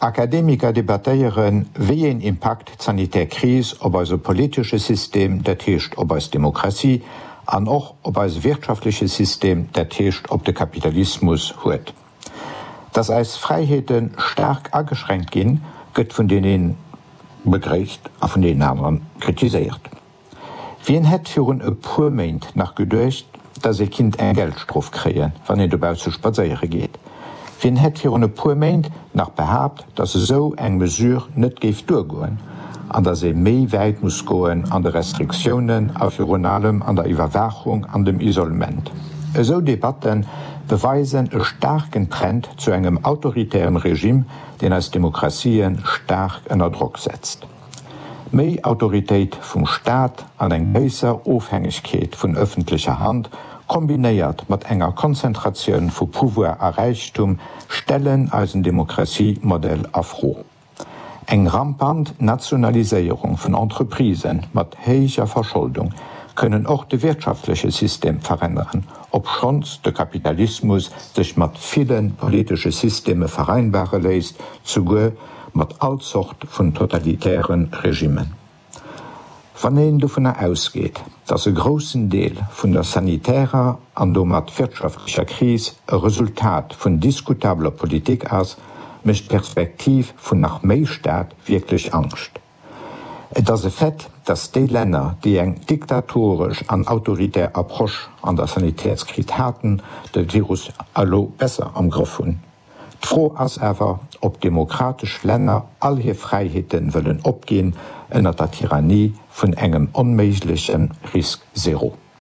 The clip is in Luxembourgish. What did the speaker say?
Akademiker debattéieren, wéi een Impakt d'sanitär Kris op eise politesche System, dat heescht op eis Demokratie, an och op eise wirtschaftleche System, dat heescht op de Kapitalismus, huet. Dass eis Fräiheete staark ageschränkt ginn, gëtt vun deen een begréisst a vun deenen anere kritiséiert. Wien hätt virun e puer Méint nach geduecht, dass ee kinnt eng Geldstrof kréien, wann een dobausse spadséiere geet? Wien hätt virun e puer Méint nach behaapt, dass esou eng Mesure net géif duergoen an dass ee méi wäit muss goen an de Restriktiounen a virun allem an der Iwwerwaachung an dem Isolement? Esou Debatte beweisen e staarken Trend zu engem autoritärem Regime, deen eis Demokratië staark ënner Drock setzt. Méi Autoritéit vum Staat an eng gréisser Ofhängegkeet vun ëffentlecher Hand, kombinéiert mat enger Konzentratioun vu Pouvoir a Räichtum, stellen eisen Demokratiemodell a Fro. Eng rampant Nationaliséierung vun Entreprisë mat héijer Verscholdung kënnen och de wirtschaftleche System veränneren, obschonns de Kapitalismus sech mat ville politesche Systeme vereinbare léisst, souguer mat all Zort vun totalitäre Regimmen. Wann een dovunner ausgeet, datt e groussen Deel vun der sanitärer an domat wirtschaftlecher Kris e Resultat vun diskutabeler Politik ass, mécht d'Perspektiv vun nach méi Staat wierklech Angscht. Et ass e Fait, datt déi Länner, déi eng diktatoresch an autoritär Approche an der Sanitätskris haten, de Virus elo besser am Grëff hunn. D'Fro ass awer, ob demokratesch Länner all hir Fräiheete wëllen opginn ënner der Tyrannie vun engem onméigleche Risque zéro.